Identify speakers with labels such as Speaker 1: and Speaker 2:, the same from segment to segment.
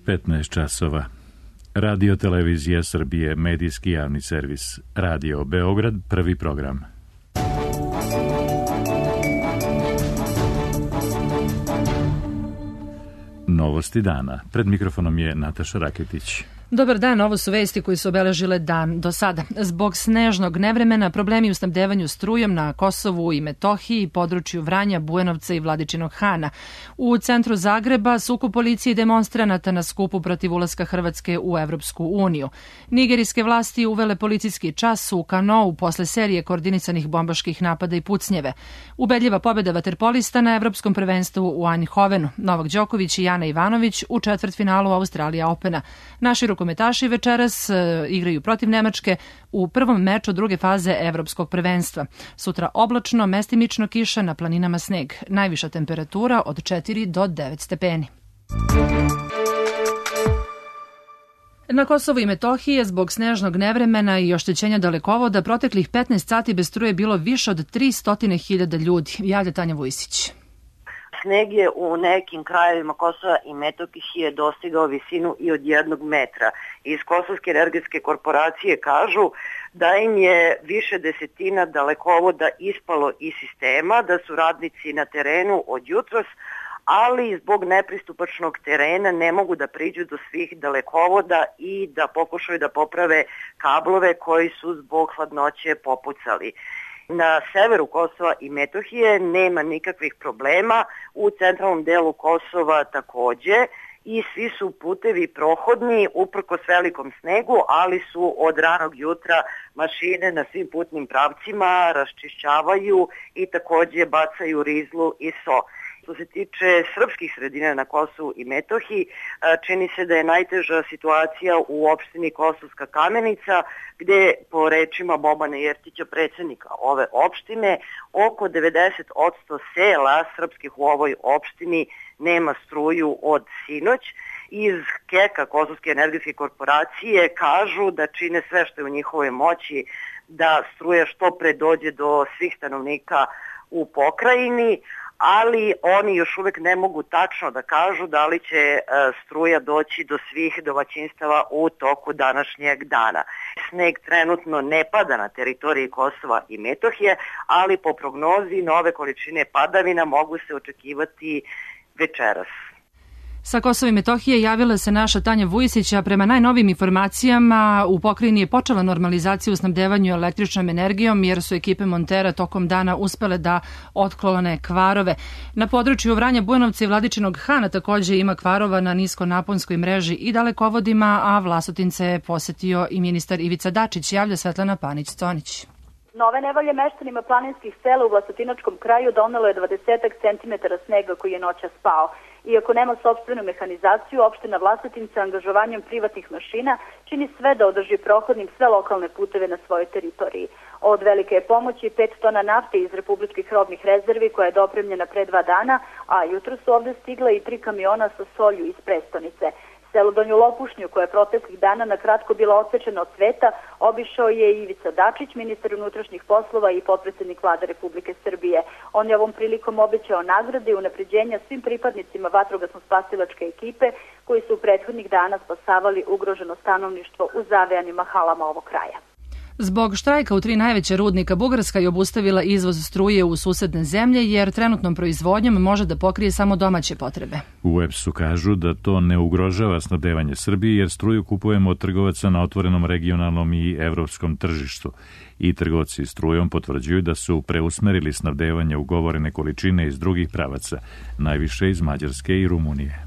Speaker 1: 15 časova. Radio Televizija Srbije, medijski javni servis. Radio Beograd, prvi program. Novosti dana. Pred mikrofonom je Nataša Raketić.
Speaker 2: Dobar dan, ovo su vesti koji su obeležile dan do sada. Zbog snežnog nevremena, problemi u snabdevanju strujom na Kosovu i Metohiji, području Vranja, Bujanovca i Vladičinog Hana. U centru Zagreba sukob policije i demonstranata na skupu protiv ulaska Hrvatske u Evropsku uniju. Nigerijske vlasti uvele policijski čas u Kanou posle serije koordinisanih bombaških napada i pucnjeve. Ubedljiva pobjeda vaterpolista na Evropskom prvenstvu u Eindhovenu. Novak Đoković i Jana Ivanović u četvrtfinalu Australija Opena. Naši rukometaši večeras igraju protiv Nemačke u prvom meču druge faze Evropskog prvenstva. Sutra oblačno, mestimično kiša, na planinama sneg. Najviša temperatura od 4 do 9 stepeni. Na Kosovu i Metohiji je zbog snežnog nevremena i oštećenja dalekovoda proteklih 15 sati bez struje bilo više od 300.000 ljudi. Javlja Tanja Vujsić.
Speaker 3: Sneg je u nekim krajevima Kosova i Metohije dostigao visinu i od 1 metra. Iz Kosovske energetske korporacije kažu da im je više desetina dalekovoda ispalo iz sistema, da su radnici na terenu od jutros, ali zbog nepristupačnog terena ne mogu da priđu do svih dalekovoda i da pokušaju da poprave kablove koji su zbog hladnoće popucali. Na severu Kosova i Metohije nema nikakvih problema, u centralnom delu Kosova takođe i svi su putevi prohodni uprkos velikom snegu, ali su od ranog jutra mašine na svim putnim pravcima raščišćavaju i takođe bacaju rizlu i so. Što se tiče srpskih sredina na Kosovu i Metohiji, čini se da je najteža situacija u opštini Kosovska Kamenica, gde po rečima Bobana Jertića, predsjednika ove opštine, oko 90% sela srpskih u ovoj opštini nema struju od sinoć. Iz KEK-a, Kosovske energetske korporacije, kažu da čine sve što je u njihovoj moći da struja što pre dođe do svih stanovnika u pokrajini, ali oni još uvek ne mogu tačno da kažu da li će struja doći do svih domaćinstava u toku današnjeg dana. Sneg trenutno ne pada na teritoriji Kosova i Metohije, ali po prognozi nove količine padavina mogu se očekivati večeras.
Speaker 2: Sa Kosova i Metohije javila se naša Tanja Vujsić, a prema najnovim informacijama u pokrajini je počela normalizacija u snabdevanju električnom energijom jer su ekipe montera tokom dana uspele da otklone kvarove. Na području Vranja, Bujanovca i Vladičinog Hana takođe ima kvarova na niskonaponskoj mreži i dalekovodima, a Vlasotince je posetio i ministar Ivica Dačić, javlja Svetlana Panić-Conić.
Speaker 4: Nove nevolje meštanima planinskih sela u Vlasotinačkom kraju donelo je 20 centimetara snega koji je noćas pao. Iako nema sopstvenu mehanizaciju, opština Vlasotince angažovanjem privatnih mašina čini sve da održi prohodnim sve lokalne puteve na svojoj teritoriji. Od velike je pomoći 5 tona nafte iz republičkih robnih rezervi koja je dopremljena pre 2 dana, a jutro su ovde stigla i 3 kamiona sa solju iz prestonice. Selo Donju Lopušnju, koja je proteklih dana na kratko bila odsečena od sveta, obišao je i Ivica Dačić, ministar unutrašnjih poslova i potpredsednik Vlade Republike Srbije. On je ovom prilikom obećao nagrade i unapređenja svim pripadnicima vatrogasno-spasilačke ekipe koji su u prethodnih dana spasavali ugroženo stanovništvo u zavejanim halama ovog kraja.
Speaker 2: Zbog štrajka u 3 najveća rudnika, Bugarska je obustavila izvoz struje u susedne zemlje jer trenutnom proizvodnjom može da pokrije samo domaće potrebe.
Speaker 1: U EPS-u kažu da to ne ugrožava snabdevanje Srbije jer struju kupujemo od trgovaca na otvorenom regionalnom i evropskom tržištu. I trgovci strujom potvrđuju da su preusmerili snabdevanje ugovorene količine iz drugih pravaca, najviše iz Mađarske i Rumunije.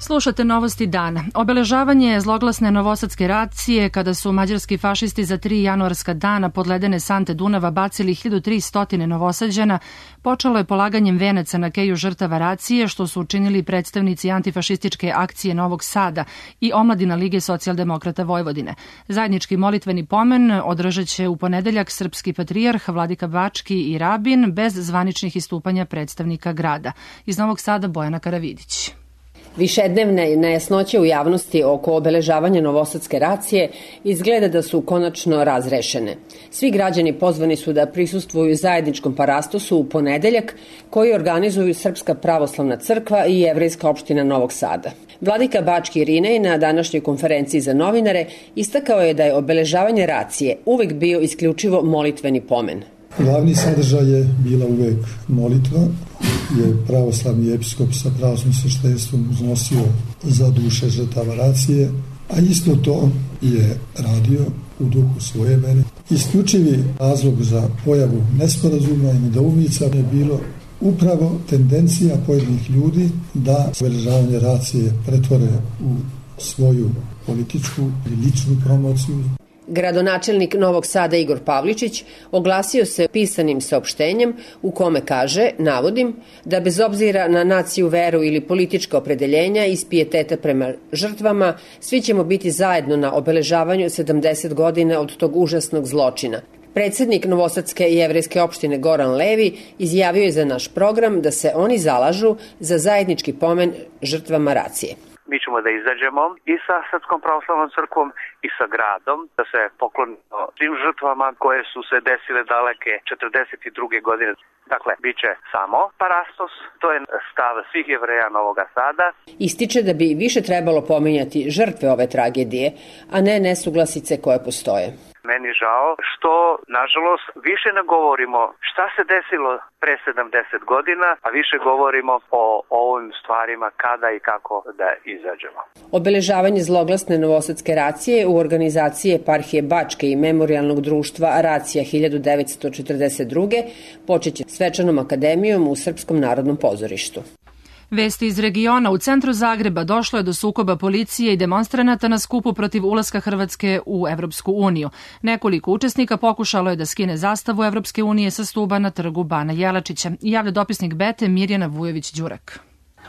Speaker 2: Slušate novosti dana. Obeležavanje zloglasne novosadske racije kada su mađarski fašisti za 3 januarska dana pod ledene sante Dunava bacili 1300 Novosađana počelo je polaganjem venaca na keju žrtava racije, što su učinili predstavnici antifašističke akcije Novog Sada i omladina Lige socijaldemokrata Vojvodine. Zajednički molitveni pomen održat će u ponedeljak srpski patrijarh, vladika Bački i rabin bez zvaničnih istupanja predstavnika grada. Iz Novog Sada Bojana Karavidić.
Speaker 5: Višednevne nejasnoće u javnosti oko obeležavanja novosadske racije izgleda da su konačno razrešene. Svi građani pozvani su da prisustvuju zajedničkom parastosu u ponedeljak koji organizuju Srpska pravoslavna crkva i Jevrejska opština Novog Sada. Vladika Bački Irinej na današnjoj konferenciji za novinare istakao je da je obeležavanje racije uvek bio isključivo molitveni pomen.
Speaker 6: Glavni sadržaj je bila uvek molitva, je pravoslavni episkop sa pravoslavnim sveštenstvom uznosio za duše žrtava racije, a isto to je radio u duhu svoje vere. Isključivi razlog za pojavu nesporazuma i nedoumica je bilo upravo tendencija pojedinih ljudi da obeležavanje racije pretvore u svoju političku ili ličnu promociju.
Speaker 5: Gradonačelnik Novog Sada Igor Pavličić oglasio se pisanim saopštenjem u kome kaže, navodim, da bez obzira na naciju, veru ili politička opredeljenja iz pijeteta prema žrtvama, svi ćemo biti zajedno na obeležavanju 70 godina od tog užasnog zločina. Predsednik Novosadske jevrejske opštine Goran Levi izjavio je za naš program da se oni zalažu za zajednički pomen žrtvama racije.
Speaker 7: Mi ćemo da izađemo i sa Srpskom pravoslavnom crkvom i sa gradom, da se poklonimo svim žrtvama koje su se desile daleke 42. godine. Dakle, bit će samo parastos, to je stav svih Jevreja Novoga Sada.
Speaker 5: Ističe da bi više trebalo pominjati žrtve ove tragedije, a ne nesuglasice koje postoje.
Speaker 7: Meni žao što, nažalost, više ne govorimo šta se desilo pre 70 godina, a više govorimo o ovim stvarima kada i kako da izađemo.
Speaker 5: Obeležavanje zloglasne novosadske racije u organizaciji Eparhije Bačke i Memorijalnog društva Racija 1942. počeće svečanom akademijom u Srpskom narodnom pozorištu.
Speaker 2: Vesti iz regiona. U centru Zagreba došlo je do sukoba policije i demonstranata na skupu protiv ulaska Hrvatske u Evropsku uniju. Nekoliko učesnika pokušalo je da skine zastavu Evropske unije sa stuba na trgu Bana Jelačića. Javlja dopisnik Bete Mirjana Vujović-Đurak.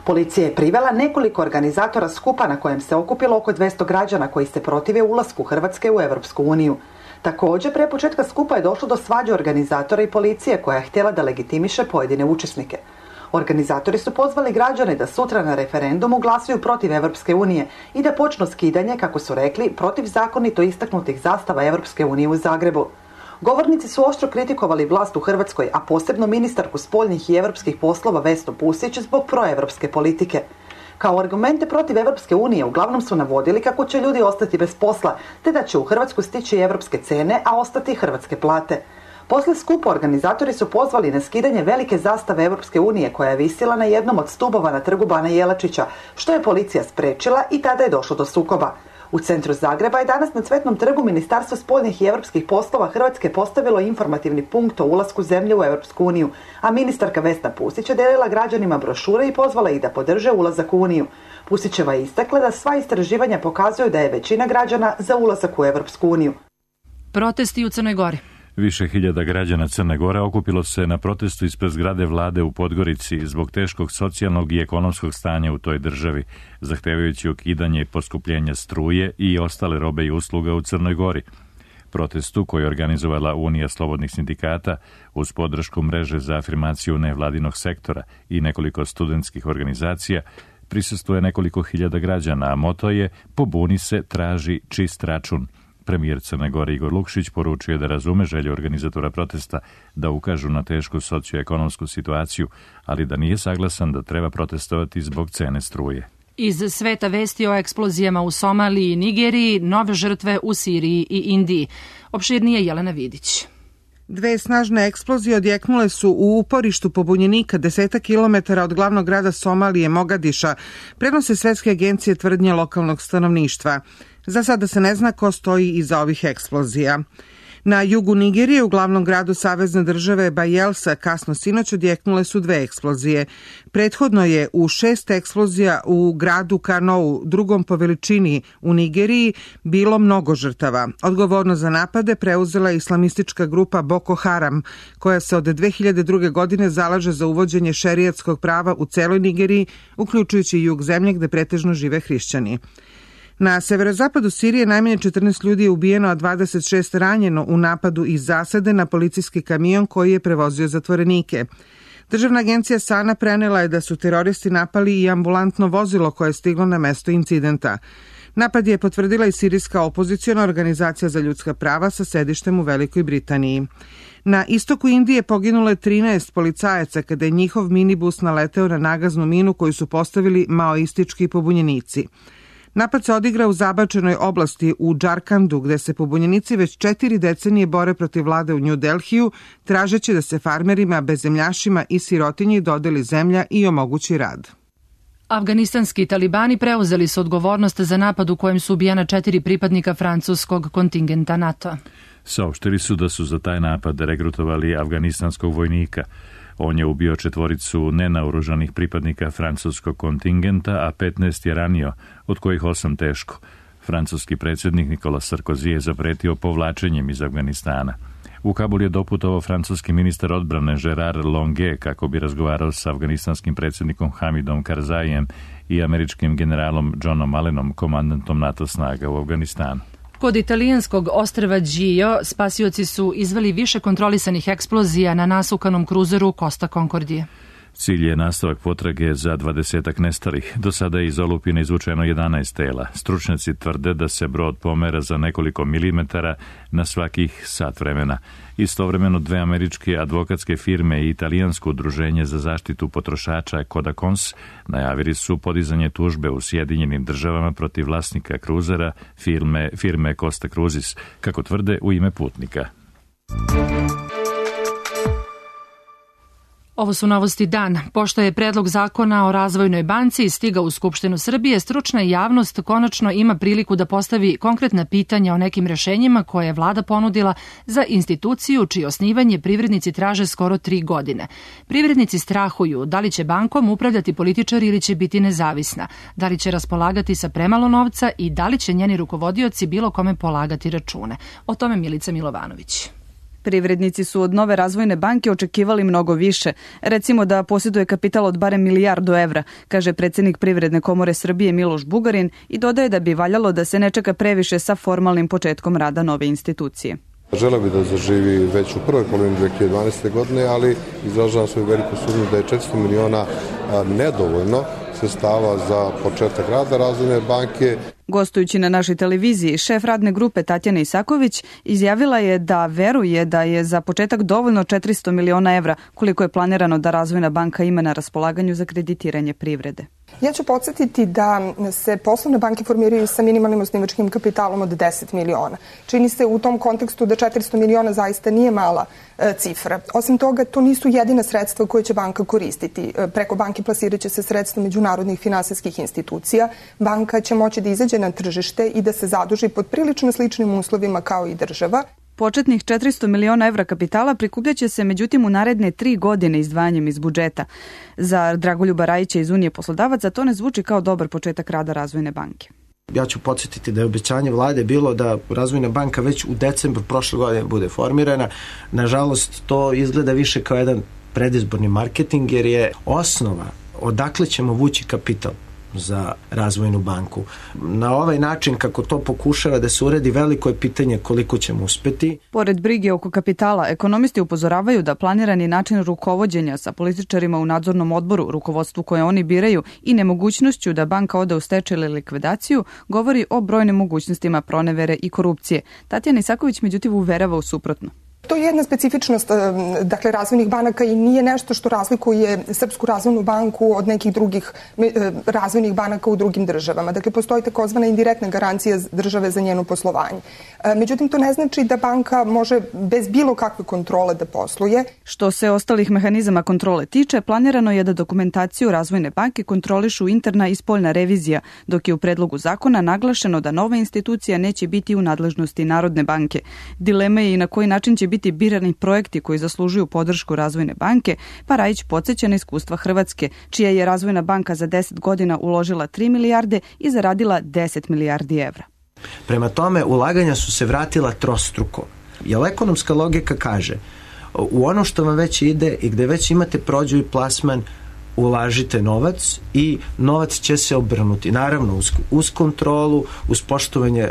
Speaker 8: Policija je privela nekoliko organizatora skupa na kojem se okupilo oko 200 građana koji se protive ulasku Hrvatske u Evropsku uniju. Također, pre početka skupa je došlo do svađe organizatora i policije koja je htjela da legitimiše pojedine učesnike. Organizatori su pozvali građane da sutra na referendumu glasuju protiv Evropske unije i da počnu skidanje, kako su rekli, protiv zakonito istaknutih zastava Evropske unije u Zagrebu. Govornici su oštro kritikovali vlast u Hrvatskoj, a posebno ministarku spoljnih i evropskih poslova Vesnu Pusić zbog proevropske politike. Kao argumente protiv Evropske unije uglavnom su navodili kako će ljudi ostati bez posla, te da će u Hrvatsku stići evropske cene, a ostati hrvatske plate. Posle skupa organizatori su pozvali na skidanje velike zastave Evropske unije koja je visila na jednom od stubova na trgu Bana Jelačića, što je policija sprečila i tada je došlo do sukoba. U centru Zagreba je danas na Cvetnom trgu Ministarstvo spoljnih i evropskih poslova Hrvatske postavilo informativni punkt o ulasku zemlje u Evropsku uniju, a ministarka Vesna Pusić je delila građanima brošure i pozvala ih da podrže ulazak u Uniju. Pusićeva je istakla da sva istraživanja pokazuju da je većina građana za ulazak u Evropsku uniju.
Speaker 2: Protesti u Crnoj Gori.
Speaker 1: Više hiljada građana Crne Gore okupilo se na protestu ispred zgrade vlade u Podgorici zbog teškog socijalnog i ekonomskog stanja u toj državi, zahtevajući ukidanje poskupljenja struje i ostale robe i usluga u Crnoj Gori. Protestu, koji je organizovala Unija slobodnih sindikata uz podršku mreže za afirmaciju nevladinog sektora i nekoliko studentskih organizacija, prisustvuje nekoliko hiljada građana, a moto je "Pobuni se, traži čist račun". Premijer Crne Gore Igor Lukšić poručuje da razume želju organizatora protesta da ukažu na tešku socioekonomsku situaciju, ali da nije saglasan da treba protestovati zbog cene struje.
Speaker 2: Iz sveta vesti o eksplozijama u Somaliji i Nigeriji, nove žrtve u Siriji i Indiji. Opširnije Jelena Vidić.
Speaker 9: Dve snažne eksplozije odjeknule su u uporištu pobunjenika 10 kilometara od glavnog grada Somalije, Mogadiša, prenose svetske agencije tvrdnje lokalnog stanovništva. Za sada se ne zna ko stoji iza ovih eksplozija. Na jugu Nigerije, u glavnom gradu savezne države Bayelsa, kasno sinoć odjeknule su dve eksplozije. Prethodno je u 6 eksplozija u gradu Kanou, drugom po veličini u Nigeriji, bilo mnogo žrtava. Odgovornost za napade preuzela je islamistička grupa Boko Haram, koja se od 2002. godine zalaže za uvođenje šerijatskog prava u celoj Nigeriji, uključujući jug zemlje gde pretežno žive hrišćani. Na severozapadu Sirije najmanje 14 ljudi je ubijeno, a 26 ranjeno u napadu iz zasade na policijski kamion koji je prevozio zatvorenike. Državna agencija SANA prenela je da su teroristi napali i ambulantno vozilo koje je stiglo na mesto incidenta. Napad je potvrdila i sirijska opoziciona organizacija za ljudska prava sa sedištem u Velikoj Britaniji. Na istoku Indije poginulo je 13 policajaca kada je njihov minibus naleteo na nagaznu minu koju su postavili maoistički pobunjenici. Napad se odigra u zabačenoj oblasti u Džarkandu, gde se pobunjenici već 4 decenije bore protiv vlade u New Delhiju, tražeći da se farmerima, bezemljašima i sirotinji dodeli zemlja i omogući rad.
Speaker 2: Afganistanski talibani preuzeli su odgovornost za napad u kojem su ubijena 4 pripadnika francuskog kontingenta NATO.
Speaker 1: Saopštili su da su za taj napad regrutovali afganistanskog vojnika. On je ubio 4 nenaoružanih pripadnika francuskog kontingenta, a 15 je ranio, od kojih 8 teško. Francuski predsjednik Nicolas Sarkozy je zapretio povlačenjem iz Afganistana. U Kabul je doputovao francuski ministar odbrane Gérard Longuet kako bi razgovarao sa afganistanskim predsjednikom Hamidom Karzajem i američkim generalom Johnom Allenom, komandantom NATO snaga u Afganistanu.
Speaker 2: Kod italijanskog ostrva Gio spasioci su izveli više kontrolisanih eksplozija na nasukanom kruzeru Costa Concordije.
Speaker 1: Cilj je nastavak potrage za 20 nestalih. Do sada je iz olupine izvučeno 11 tela. Stručnjaci tvrde da se brod pomera za nekoliko milimetara na svakih sat vremena. Istovremeno 2 američke advokatske firme i italijansko udruženje za zaštitu potrošača Codacons najavili su podizanje tužbe u Sjedinjenim Državama protiv vlasnika kruzera firme Costa Cruises, kako tvrde u ime putnika.
Speaker 2: Ovo su novosti dan. Pošto je predlog zakona o razvojnoj banci stigao u Skupštinu Srbije, stručna javnost konačno ima priliku da postavi konkretna pitanja o nekim rešenjima koje je vlada ponudila za instituciju čije osnivanje privrednici traže skoro 3 godine. Privrednici strahuju da li će bankom upravljati političari ili će biti nezavisna, da li će raspolagati sa premalo novca i da li će njeni rukovodioci bilo kome polagati račune. O tome Milica Milovanović.
Speaker 10: Privrednici su od nove razvojne banke očekivali mnogo više. Recimo da posjeduje kapital od barem 1 milijardu evra, kaže predsjednik Privredne komore Srbije Miloš Bugarin i dodaje da bi valjalo da se ne čeka previše sa formalnim početkom rada nove institucije.
Speaker 11: Želeo bi da zaživi već u prvoj polovini 2012. godine, ali izražavam svoju veliku sumnju da je 400 miliona nedovoljno sredstava za početak rada razvojne banke.
Speaker 10: Gostujući na našoj televiziji, šef radne grupe Tatjana Isaković izjavila je da veruje da je za početak dovoljno 400 miliona evra koliko je planirano da Razvojna banka ima na raspolaganju za kreditiranje privrede.
Speaker 12: Ja ću podsjetiti da se poslovne banke formiraju sa minimalnim osnivačkim kapitalom od 10 miliona. Čini se u tom kontekstu da 400 miliona zaista nije mala cifra. Osim toga, to nisu jedina sredstva koje će banka koristiti. Preko banke plasirat će se sredstva međunarodnih finansijskih institucija. Banka će moći da izađe na tržište i da se zaduži pod prilično sličnim uslovima kao i država.
Speaker 10: Početnih 400 miliona evra kapitala prikupljaće se međutim u naredne 3 godine izdvajanjem iz budžeta. Za Dragoljuba Rajića iz Unije poslodavaca to ne zvuči kao dobar početak rada Razvojne banke.
Speaker 13: Ja ću podsjetiti da je obećanje vlade bilo da Razvojna banka već u decembru prošle godine bude formirana. Nažalost, to izgleda više kao jedan predizborni marketing jer je osnova odakle ćemo vući kapital za Razvojnu banku. Na ovaj način kako to pokušava da se uredi, veliko je pitanje koliko ćemo uspeti.
Speaker 10: Pored brige oko kapitala, ekonomisti upozoravaju da planirani način rukovođenja sa političarima u nadzornom odboru, rukovodstvu koje oni biraju i nemogućnošću da banka ode u stečaj ili likvidaciju, govori o brojnim mogućnostima pronevere i korupcije. Tatjana Isaković međutim uverava u suprotno.
Speaker 12: To je jedna specifičnost razvojnih banaka i nije nešto što razlikuje Srpsku razvojnu banku od nekih drugih razvojnih banaka u drugim državama. Dakle, postoji takozvana indirektna garancija države za njeno poslovanje. Međutim, to ne znači da banka može bez bilo kakve kontrole da posluje.
Speaker 10: Što se ostalih mehanizama kontrole tiče, planirano je da dokumentaciju Razvojne banke kontrolišu interna i spoljna revizija, dok je u predlogu zakona naglašeno da nova institucija neće biti u nadležnosti Narodne banke. Dilema je i na koji način će biti birani projekti koji zaslužuju podršku Razvojne banke, pa Rajić podsjeća na iskustva Hrvatske, čija je Razvojna banka za 10 godina uložila 3 milijarde i zaradila 10 milijardi evra.
Speaker 13: Prema tome, ulaganja su se vratila trostruko. Jer ekonomska logika kaže, u ono što vam već ide i gde već imate prođu i plasman, ulažite novac i novac će se obrnuti. Naravno, uz kontrolu, uz poštovanje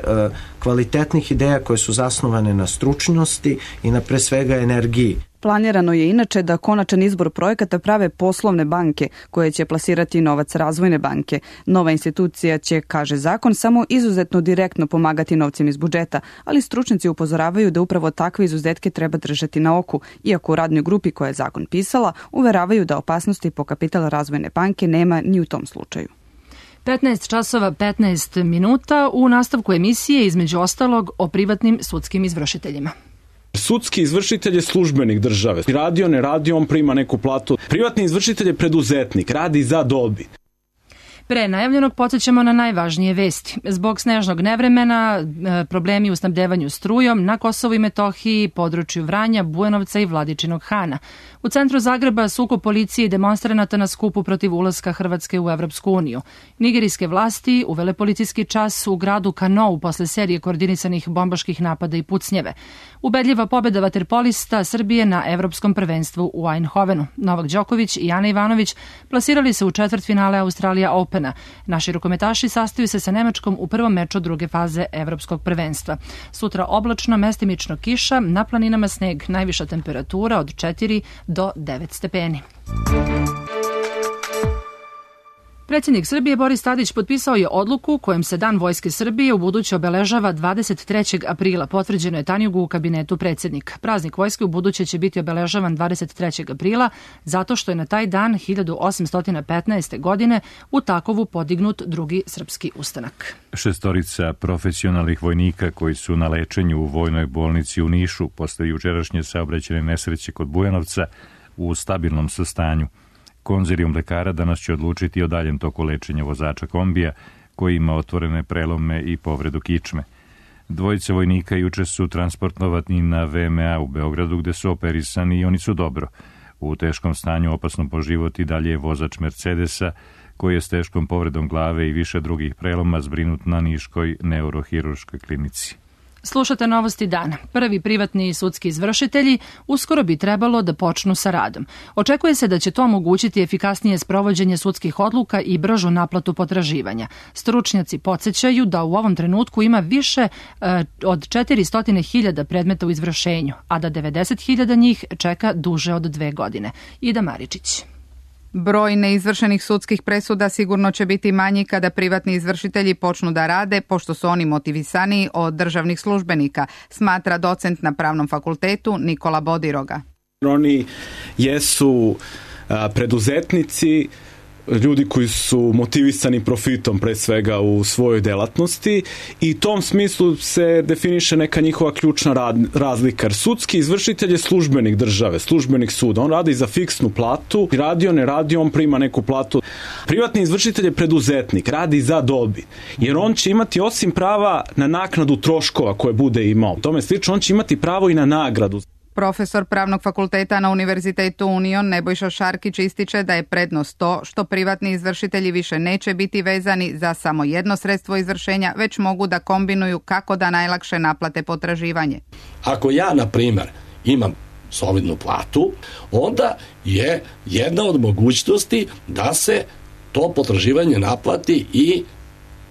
Speaker 13: kvalitetnih ideja koje su zasnovane na stručnosti i na pre svega energiji.
Speaker 10: Planirano je inače da konačan izbor projekata prave poslovne banke koje će plasirati novac Razvojne banke. Nova institucija će, kaže zakon, samo izuzetno direktno pomagati novcem iz budžeta, ali stručnjaci upozoravaju da upravo takve izuzetke treba držati na oku, iako u radnoj grupi koja je zakon pisala uveravaju da opasnosti po kapital Razvojne banke nema ni u tom slučaju.
Speaker 2: 15 časova 15 minuta u nastavku emisije, između ostalog, o privatnim sudskim izvršiteljima.
Speaker 14: Sudski izvršitelj je službenik države. Radio, ne radio, on prima neku platu. Privatni izvršitelj je preduzetnik, radi za dobit.
Speaker 2: Pre najavljenog podsjećamo na najvažnije vesti. Zbog snežnog nevremena, problemi u snabdevanju strujom na Kosovu i Metohiji, području Vranja, Bujanovca i Vladičinog Hana. U centru Zagreba sukob policije i demonstranata na skupu protiv ulaska Hrvatske u Evropsku uniju. Nigerijske vlasti uvele policijski čas u gradu Kanou posle serije koordinisanih bombaških napada i pucnjeve. Ubedljiva pobeda vaterpolista Srbije na Evropskom prvenstvu u Eindhovenu. Novak Đoković i Ana Ivanović plasirali se u četvrtfinale Australija Opena. Naši rukometaši sastaju se sa Nemačkom u prvom meču druge faze Evropskog prvenstva. Sutra oblačno, mestimično kiša, na planinama sneg, najviša temperatura od 4 do 9 stepeni. Predsjednik Srbije Boris Tadić potpisao je odluku kojom se Dan Vojske Srbije ubuduće obeležava 23. aprila. Potvrđeno je Tanjugu u kabinetu predsjednika. Praznik vojske ubuduće će biti obeležavan 23. aprila zato što je na taj dan 1815. godine u Takovu podignut drugi srpski ustanak.
Speaker 1: 6 profesionalnih vojnika koji su na lečenju u vojnoj bolnici u Nišu posle jučerašnje saobraćajne nesreće kod Bujanovca u stabilnom sastanju. Konzilijum lekara danas će odlučiti o daljem toku lečenja vozača kombija koji ima otvorene prelome i povredu kičme. Dvojica vojnika juče su transportovani na VMA u Beogradu gde su operisani i oni su dobro. U teškom stanju, opasno po život, i dalje je vozač Mercedesa koji je s teškom povredom glave i više drugih preloma zbrinut na Niškoj neurohirurškoj klinici.
Speaker 2: Slušate novosti dana. Prvi privatni sudski izvršitelji uskoro bi trebalo da počnu sa radom. Očekuje se da će to omogućiti efikasnije sprovođenje sudskih odluka i bržu naplatu potraživanja. Stručnjaci podsjećaju da u ovom trenutku ima više od 400.000 predmeta u izvršenju, a da 90.000 njih čeka duže od 2 godine. Ida Maričić.
Speaker 15: Broj neizvršenih sudskih presuda sigurno će biti manji kada privatni izvršitelji počnu da rade, pošto su oni motivisaniji od državnih službenika, smatra docent na Pravnom fakultetu Nikola Bodiroga.
Speaker 14: Oni jesu preduzetnici, ljudi koji su motivisani profitom pre svega u svojoj delatnosti i u tom smislu se definiše neka njihova ključna razlika. Jer sudski izvršitelj je službenik države, službenik suda. On radi za fiksnu platu, radio, ne radio, on prima neku platu. Privatni izvršitelj je preduzetnik, radi za dobit. Jer on će imati osim prava na naknadu troškova koje bude imao. Tome slično, on će imati pravo i na nagradu.
Speaker 15: Profesor Pravnog fakulteta na Univerzitetu Union Nebojša Šarkić ističe da je prednost to što privatni izvršitelji više neće biti vezani za samo jedno sredstvo izvršenja, već mogu da kombinuju kako da najlakše naplate potraživanje.
Speaker 16: Ako ja, na primjer, imam solidnu platu, onda je jedna od mogućnosti da se to potraživanje naplati i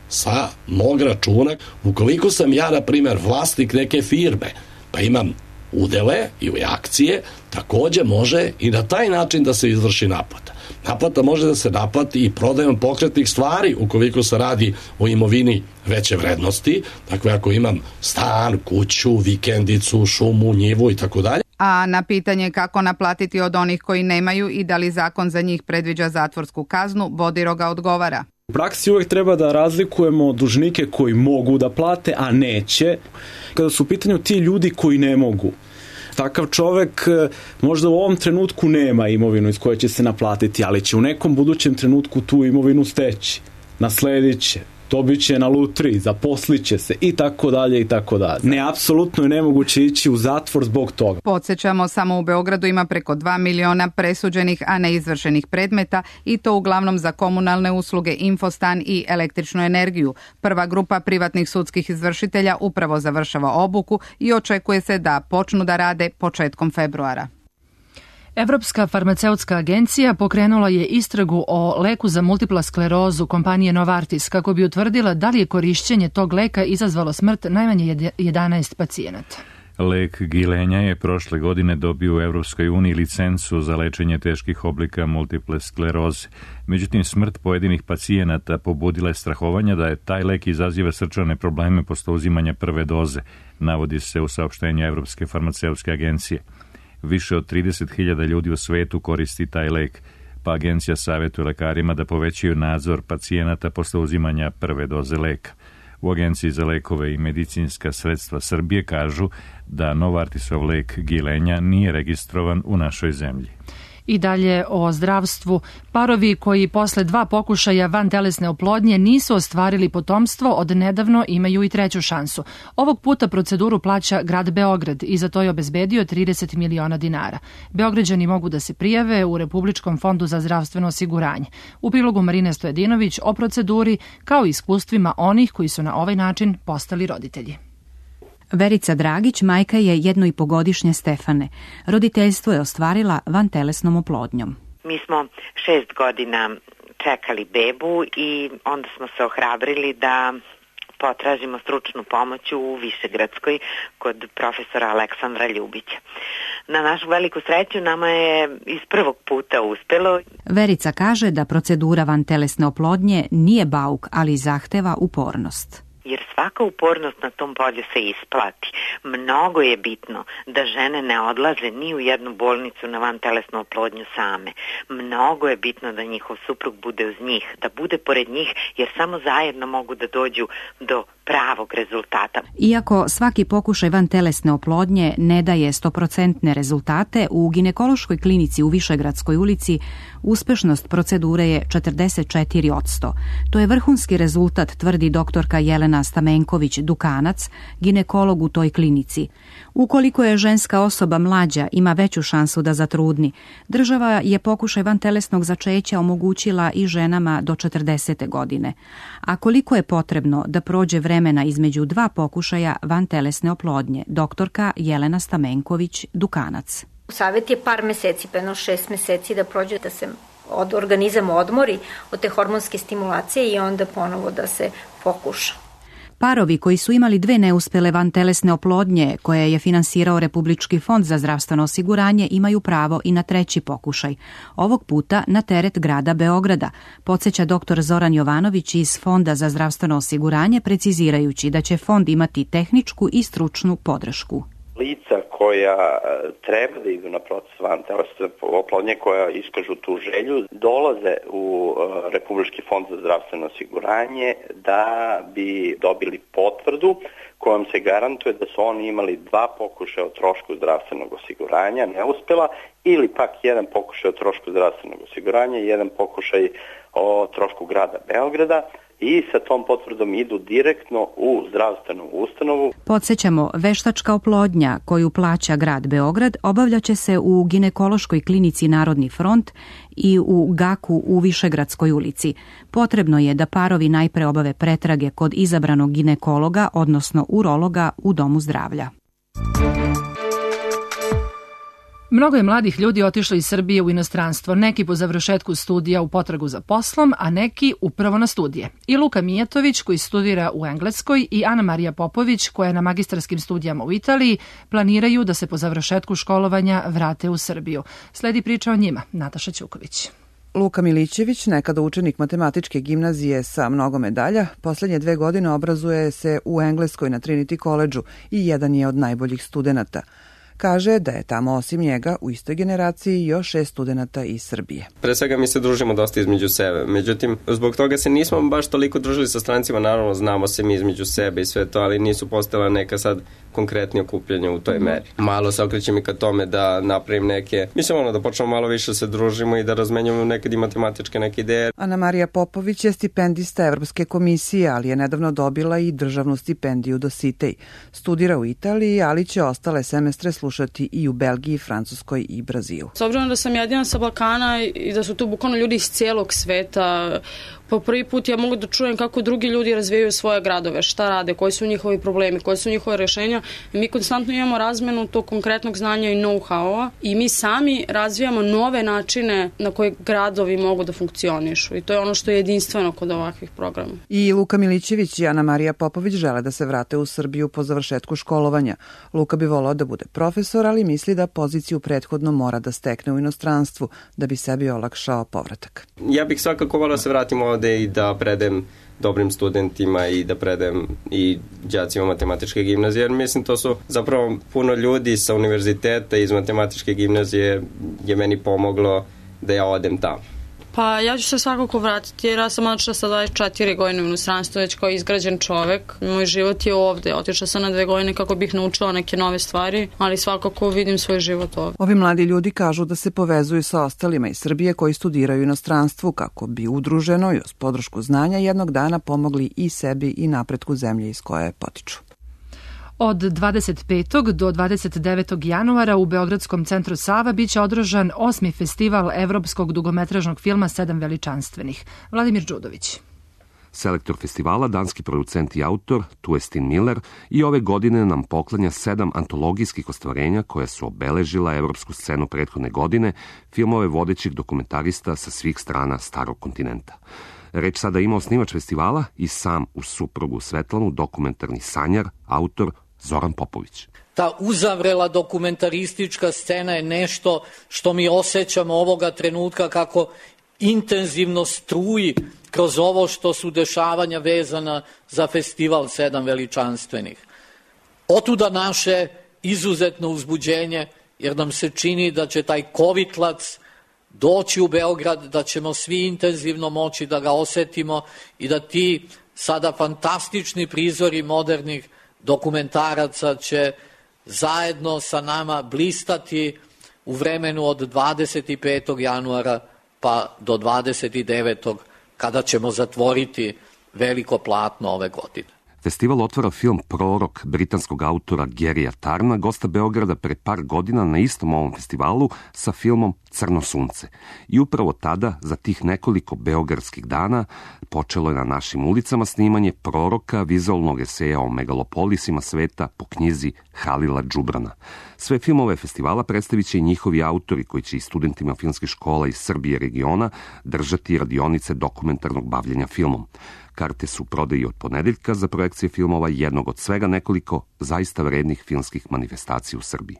Speaker 16: sa mog računa. Ukoliko sam ja, na primjer, vlasnik neke firme, pa imam udele i akcije, takođe može i na taj način da se izvrši naplata. Naplata može da se naplati i prodajom pokretnih stvari ukoliko se radi o imovini veće vrednosti. Dakle, ako imam stan, kuću, vikendicu, šumu, njivu i tako dalje.
Speaker 15: A na pitanje kako naplatiti od onih koji nemaju i da li zakon za njih predviđa zatvorsku kaznu, Bodiroga odgovara.
Speaker 14: U praksi uvijek treba da razlikujemo dužnike koji mogu da plate, a neće. Kada su u pitanju ti ljudi koji ne mogu, takav čovek možda u ovom trenutku nema imovinu iz koje će se naplatiti, ali će u nekom budućem trenutku tu imovinu steći, nasledit će, dobit će na lutriji, zaposliće se i tako dalje i tako dalje. Ne, apsolutno je nemoguće ići u zatvor zbog toga.
Speaker 15: Podsjećamo, samo u Beogradu ima preko 2 miliona presuđenih, a neizvršenih predmeta i to uglavnom za komunalne usluge, infostan i električnu energiju. Prva grupa privatnih sudskih izvršitelja upravo završava obuku i očekuje se da počnu da rade početkom februara.
Speaker 2: Evropska farmaceutska agencija pokrenula je istragu o leku za multipla sklerozu kompanije Novartis kako bi utvrdila da li je korišćenje tog leka izazvalo smrt najmanje 11 pacijenata.
Speaker 1: Lek Gilenja je prošle godine dobio u Evropskoj uniji licencu za lečenje teških oblika multiple skleroze. Međutim, smrt pojedinih pacijenata pobudila je strahovanja da je taj lek izaziva srčane probleme posle uzimanja prve doze, navodi se u saopštenju Evropske farmaceutske agencije. Više od 30.000 ljudi u svetu koristi taj lek, pa agencija savjetuje lekarima da povećaju nadzor pacijenata posle uzimanja prve doze leka. U Agenciji za lekove i medicinska sredstva Srbije kažu da Novartisov lek Gilenja nije registrovan u našoj zemlji.
Speaker 2: I dalje o zdravstvu. Parovi koji posle 2 pokušaja vantelesne oplodnje nisu ostvarili potomstvo, od nedavno imaju i treću šansu. Ovog puta proceduru plaća grad Beograd i za to je obezbedio 30 miliona dinara. Beograđani mogu da se prijave u Republičkom fondu za zdravstveno osiguranje. U prilogu Marine Stojedinović o proceduri kao i iskustvima onih koji su na ovaj način postali roditelji.
Speaker 17: Verica Dragić majka je 1,5-godišnje Stefane. Roditeljstvo je ostvarila vantelesnom oplodnjom.
Speaker 18: Mi smo 6 godina čekali bebu i onda smo se ohrabrili da potražimo stručnu pomoć u Višegradskoj kod profesora Aleksandra Ljubića. Na našu veliku sreću nama je iz prvog puta uspelo.
Speaker 17: Verica kaže da procedura vantelesne oplodnje nije bauk, ali zahteva upornost.
Speaker 18: Jer svaka upornost na tom polju se isplati. Mnogo je bitno da žene ne odlaze ni u jednu bolnicu na vantelesnu oplodnju same. Mnogo je bitno da njihov suprug bude uz njih, da bude pored njih, jer samo zajedno mogu da dođu do pravog rezultata.
Speaker 17: Iako svaki pokušaj vantelesne oplodnje ne daje 100% rezultate, u ginekološkoj klinici u Višegradskoj ulici uspešnost procedure je 44%. To je vrhunski rezultat, tvrdi doktorka Jelena Stamenković-Dukanac, ginekolog u toj klinici. Ukoliko je ženska osoba mlađa, ima veću šansu da zatrudni. Država je pokušaj vantelesnog začeća omogućila i ženama do 40. godine. A koliko je potrebno da prođe vremena između 2 pokušaja vantelesne oplodnje, doktorka Jelena Stamenković-Dukanac.
Speaker 19: Savjet je par meseci, pa 6 meseci da prođe, da se organizam odmori od te hormonske stimulacije i onda ponovo da se pokuša.
Speaker 17: Parovi koji su imali 2 neuspele vantelesne oplodnje koje je finansirao Republički fond za zdravstveno osiguranje imaju pravo i na treći pokušaj. Ovog puta na teret grada Beograda, podsjeća dr. Zoran Jovanović iz Fonda za zdravstveno osiguranje, precizirajući da će fond imati tehničku i stručnu podršku.
Speaker 20: Lica koja treba da idu na proces vantelesne oplodnje, koja iskažu tu želju, dolaze u Republički fond za zdravstveno osiguranje da bi dobili potvrdu kojom se garantuje da su oni imali 2 pokušaja o trošku zdravstvenog osiguranja, neuspela, ili pak 1 pokušaj o trošku zdravstvenog osiguranja i 1 pokušaj o trošku grada Beograda. I sa tom potvrdom idu direktno u zdravstvenu ustanovu.
Speaker 17: Podsjećamo, veštačka oplodnja koju plaća grad Beograd obavljaće se u ginekološkoj klinici Narodni front i u GAK-u u Višegradskoj ulici. Potrebno je da parovi najpre obave pretrage kod izabranog ginekologa, odnosno urologa u domu zdravlja.
Speaker 2: Mnogo je mladih ljudi otišlo iz Srbije u inostranstvo, neki po završetku studija u potragu za poslom, a neki upravo na studije. I Luka Mijatović, koji studira u Engleskoj, i Ana Marija Popović, koja je na magistarskim studijama u Italiji, planiraju da se po završetku školovanja vrate u Srbiju. Sledi priča o njima, Nataša Ćuković.
Speaker 9: Luka Milićević, nekada učenik matematičke gimnazije sa mnogo medalja, poslednje 2 godine obrazuje se u Engleskoj na Trinity College-u i jedan je od najboljih studenata. Kaže da je tamo osim njega u istoj generaciji još 6 studenata iz Srbije.
Speaker 21: Pre svega mi se družimo dosta između sebe, međutim zbog toga se nismo baš toliko družili sa strancima, naravno znamo se mi između sebe i sve to, ali nisu postojala neka sad konkretnije okupljanja u toj meri. Malo se okrećem i ka tome da napravim neke, mislim da počnemo malo više se družimo i da razmenjamo nekad i matematičke neke ideje.
Speaker 9: Ana Marija Popović je stipendista Evropske komisije, ali je nedavno dobila i državnu stipendiju do Sitej. Studira u Italiji, ali će ostale semestre slušati i u Belgiji, Francuskoj i Brazilu.
Speaker 22: S obzirom da sam jedina sa Balkana i da su tu bukvalno ljudi iz cijelog sveta,
Speaker 3: Po prvi put ja mogu da čujem kako drugi ljudi razvijaju svoje gradove, šta rade, koji su njihovi problemi, koje su njihove rešenja. Mi konstantno imamo razmenu tog konkretnog znanja i know-howa i mi sami razvijamo nove načine na koje gradovi mogu da funkcionišu i to je ono što je jedinstveno kod ovakvih programa.
Speaker 10: I Luka Milićević i Ana Marija Popović žele da se vrate u Srbiju po završetku školovanja. Luka bi volao da bude profesor, ali misli da poziciju prethodno mora da stekne u inostranstvu da bi sebi olakšao povratak.
Speaker 21: Ja bih svakako volao se vratim ovde i da predem dobrim studentima i da predem i đacima matematičke gimnazije, jer mislim to su zapravo puno ljudi sa univerziteta iz matematičke gimnazije je meni pomoglo da ja odem tamo.
Speaker 3: Pa ja ću se svakako vratiti jer ja sam otišla sa 24 godine u inostranstvo već kao izgrađen čovek. Moj život je ovde. Otišla sam na 2 godine kako bih naučila neke nove stvari, ali svakako vidim svoj život ovde.
Speaker 10: Ovi mladi ljudi kažu da se povezuju sa ostalima iz Srbije koji studiraju u inostranstvu kako bi udruženo i uz podršku znanja jednog dana pomogli i sebi i napretku zemlje iz koje potiču.
Speaker 2: Od 25. do 29. januara u Beogradskom centru Sava biće održan 8. festival evropskog dugometražnog filma 7 veličanstvenih. Vladimir Đudović.
Speaker 22: Selektor festivala, danski producent i autor Tuestin Miller i ove godine nam poklanja 7 antologijskih ostvarenja koja su obeležila evropsku scenu prethodne godine, filmove vodećih dokumentarista sa svih strana starog kontinenta. Reč sada ima osnivač festivala i sam uz suprugu Svetlanu dokumentarni sanjar, autor Zoran Popović.
Speaker 23: Ta uzavrela dokumentaristička scena je nešto što mi osjećamo ovoga trenutka kako intenzivno struji kroz ovo što su dešavanja vezana za festival 7 veličanstvenih. Otuda naše izuzetno uzbuđenje, jer nam se čini da će taj kovitlac doći u Beograd, da ćemo svi intenzivno moći da ga osetimo i da ti sada fantastični prizori modernih dokumentaraca će zajedno sa nama blistati u vremenu od 25. januara pa do 29. kada ćemo zatvoriti veliko platno ove godine.
Speaker 22: Festival otvara film Prorok britanskog autora Garyja Tarna, gosta Beograda pre par godina na istom ovom festivalu sa filmom Crno sunce. I upravo tada, za tih nekoliko beogradskih dana, počelo je na našim ulicama snimanje Proroka, vizualnog eseja o megalopolisima sveta po knjizi Halila Džubrana. Sve filmove festivala predstavit će i njihovi autori koji će i studentima filmskih škola iz Srbije i regiona držati radionice dokumentarnog bavljenja filmom. Karte su prodaji od ponedeljka za projekcije filmova jednog od svega nekoliko zaista vrednih filmskih manifestacija u Srbiji.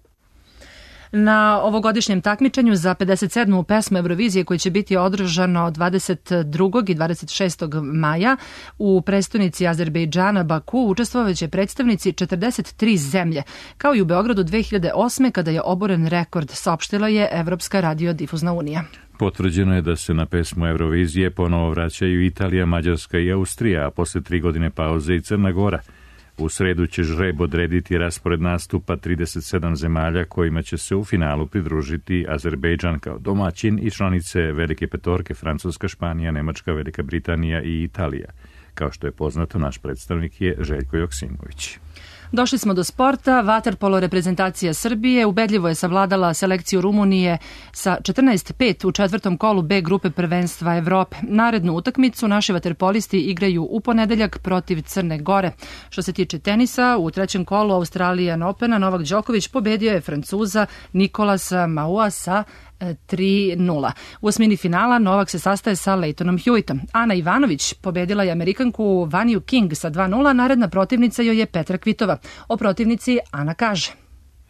Speaker 2: Na ovogodišnjem takmičenju za 57. pesmu Eurovizije koji će biti održano 22. i 26. maja u prestonici Azerbejdžana Baku učestvovaće predstavnici 43 zemlje, kao i u Beogradu 2008. kada je oboren rekord, saopštila je Evropska radiodifuzna unija.
Speaker 1: Potvrđeno je da se na pesmu Eurovizije ponovo vraćaju Italija, Mađarska i Austrija, a posle 3 godine pauze i Crna Gora. U sredu će žreb odrediti raspored nastupa 37 zemalja kojima će se u finalu pridružiti Azerbejdžan kao domaćin i članice Velike petorke Francuska, Španija, Nemačka, Velika Britanija i Italija. Kao što je poznato, naš predstavnik je Željko Joksimović.
Speaker 2: Došli smo do sporta. Vaterpolo reprezentacija Srbije ubedljivo je savladala selekciju Rumunije sa 14-5 u 4. kolu B grupe prvenstva Evrope. Narednu utakmicu naši vaterpolisti igraju u ponedeljak protiv Crne Gore. Što se tiče tenisa, u 3. kolu Australian Opena Novak Đoković pobedio je Francuza Nikolasa Maua sa 3-0. U osmini finala Novak se sastaje sa Leightonom Hewittom. Ana Ivanović pobedila je Amerikanku Vanju King sa 2-0, naredna protivnica joj je Petra Kvitova. O protivnici Ana kaže: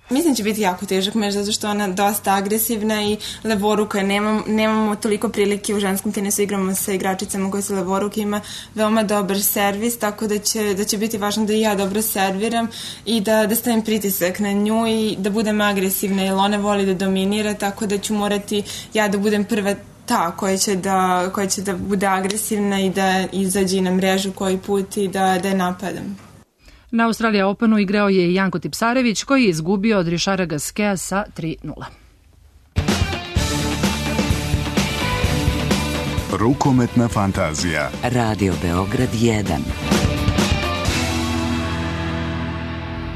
Speaker 24: Mislim će biti jako težak meč zato što ona dosta agresivna i levoruka. Nemamo toliko prilike u ženskom tenisu, igramo sa igračicama koje su levoruke, ima veoma dobar servis, tako da će biti važno da i ja dobro serviram i da stavim pritisak na nju i da budem agresivna, jer ona voli da dominira, tako da ću morati ja da budem prva ta koja će da bude agresivna i da izađe na mrežu koji put i da je napadam.
Speaker 2: Na Australija Openu igrao je Janko Tipsarević koji je izgubio od Rišara Gaskea sa 3-0.
Speaker 25: Rukometna fantazija. Radio Beograd 1.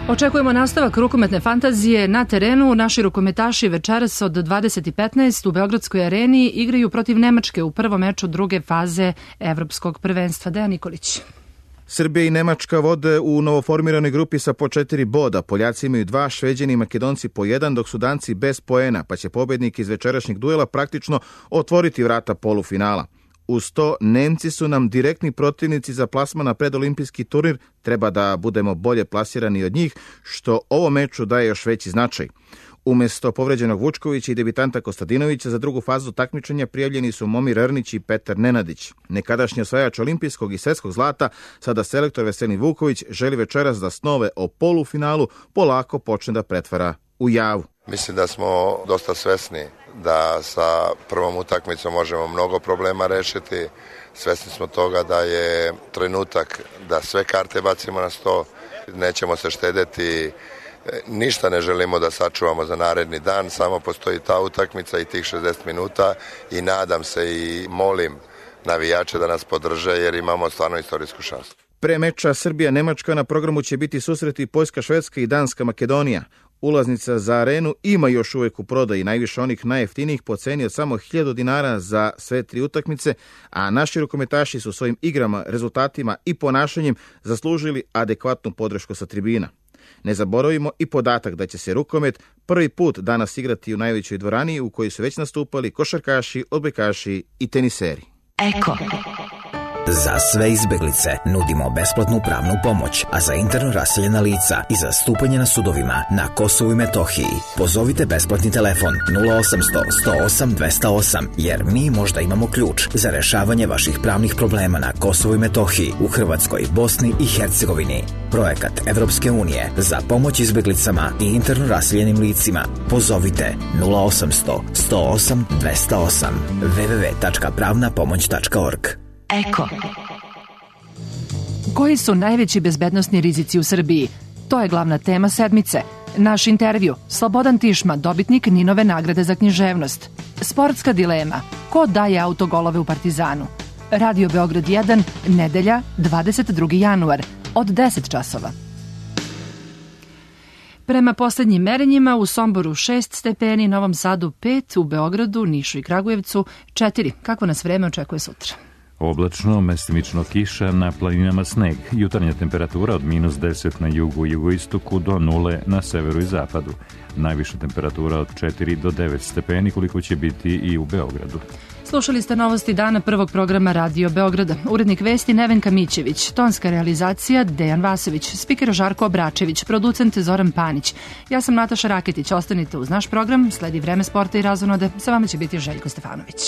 Speaker 2: Očekujemo nastavak rukometne fantazije na terenu. Naši rukometaši večeras od 20:15 u Beogradskoj areni igraju protiv Nemačke u prvom meču druge faze evropskog prvenstva. Dejan Nikolić.
Speaker 4: Srbija i Nemačka vode u novoformiranoj grupi sa po 4 boda. Poljaci imaju 2, Šveđani i Makedonci po 1, dok su Danci bez poena, pa će pobednik iz večerašnjeg duela praktično otvoriti vrata polufinala. Uz to, Nemci su nam direktni protivnici za plasman na predolimpijski turnir, treba da budemo bolje plasirani od njih, što ovo meču daje još veći značaj. Umesto povređenog Vučkovića i debitanta Kostadinovića za drugu fazu takmičenja prijavljeni su Momir Ernić i Petar Nenadić. Nekadašnji osvajač olimpijskog i svetskog zlata, sada selektor Veselin Vuković, želi večeras da snove o polufinalu polako počne da pretvara u javu.
Speaker 5: Mislim da smo dosta svesni da sa prvom utakmicom možemo mnogo problema rešiti. Svesni smo toga da je trenutak da sve karte bacimo na sto. Nećemo se štedeti, ništa ne želimo da sačuvamo za naredni dan, samo postoji ta utakmica i tih 60 minuta i nadam se i molim navijače da nas podrže jer imamo stvarno istorijsku šansu.
Speaker 4: Pre meča Srbija-Nemačka na programu će biti susreti Poljska-Švedska i Danska-Makedonija. Ulaznica za arenu ima još uvek u prodaji, najviše onih najjeftinijih po ceni od samo 1000 dinara za sve 3 utakmice, a naši rukometaši su svojim igrama, rezultatima i ponašanjem zaslužili adekvatnu podršku sa tribina. Ne zaboravimo i podatak da će se rukomet prvi put danas igrati u najvećoj dvorani u kojoj su već nastupali košarkaši, odbojkaši i teniseri.
Speaker 6: Eko. Za sve izbeglice nudimo besplatnu pravnu pomoć, a za interno raseljena lica i za zastupanje na sudovima na Kosovu i Metohiji pozovite besplatni telefon 0800 108 208, jer mi možda imamo ključ za rešavanje vaših pravnih problema na Kosovu i Metohiji, u Hrvatskoj, Bosni i Hercegovini. Projekat Evropske unije za pomoć izbeglicama i interno raseljenim licima. Pozovite 0800 108 208 www.pravnapomoć.org.
Speaker 2: Eko. Koji su najveći bezbednosni rizici u Srbiji? To je glavna tema sedmice. Naš intervju, Slobodan Tišma, dobitnik Ninove nagrade za književnost. Sportska dilema, ko daje autogolove u Partizanu? Radio Beograd 1, nedelja, 22. januar, od 10 časova. Prema poslednjim merenjima u Somboru 6 stepeni, Novom Sadu 5, u Beogradu, Nišu i Kragujevcu 4. Kako nas vreme očekuje sutra?
Speaker 1: Oblačno, mestimično kiša, na planinama sneg. Jutarnja temperatura od -10 na jugu i jugoistoku do 0 na severu i zapadu. Najviša temperatura od 4 do 9 stepeni, koliko će biti i u Beogradu.
Speaker 2: Slušali ste novosti dana prvog programa Radio Beograda. Urednik vesti Nevenka Mićević, tonska realizacija Dejan Vasović, spiker Žarko Obračević, producent Zoran Panić. Ja sam Nataša Raketić, ostanite uz naš program, sledi vreme sporta i razonode, sa vama će biti Željko Stefanović.